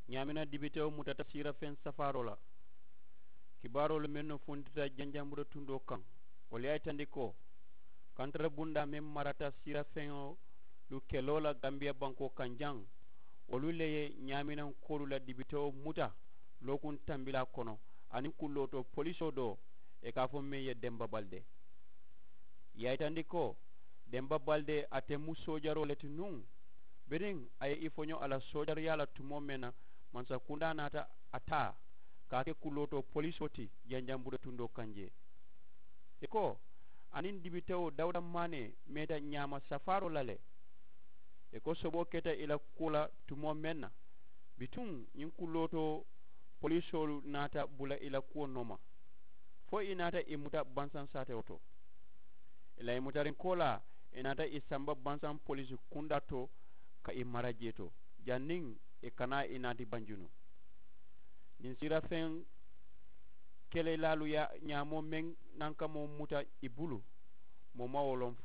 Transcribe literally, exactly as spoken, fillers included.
Ñaamina dibitewo mutata siirafeŋ safaaroo la. Kibaaroolu mennu funtita janjambure tundoo kaŋ, wolu ye a yitandi ko kantara bundaa meŋ marata siirafeŋolu keloo la gambiya bankoo kaŋ jaŋ, wolu le ye ñaaminankoolu la dibitewo muta lookuŋ tambilaa kono, aniŋ kullootoo polisoo doo ì ka a fo meŋ ye demba balde. Ì ye a yitandi ko demba balde ate mu soojaroo le ti nuŋ, biriŋ a ye i foño a la soojariyaa la tumoo meŋ na, mansakundaa naata a taa ka a ke kulootoo polisoo ti janjambure tundoo kaŋ jee. Ì ko a niŋ dibitewo dawuda maanee meeta ñaama safaaroo la le. Ì ko soboo keta ì la kuwo la tumoo meŋ na, bituŋ ñiŋ kulootoo polisoolu naata bula ì la kuwo nooma, fo ì naata ì muta bansaŋ saatewo to. Ì la ì mutariŋ koolaa, ì naata ì samba bansaŋ polisi kundaa to ka ì mara jee to, janniŋ ì kana ì naati banjunu. Ñiŋ siirafeŋ kelelaalu ye ñaamoo meŋ nankamoo muta ì bulu, moo maŋ wo loŋ.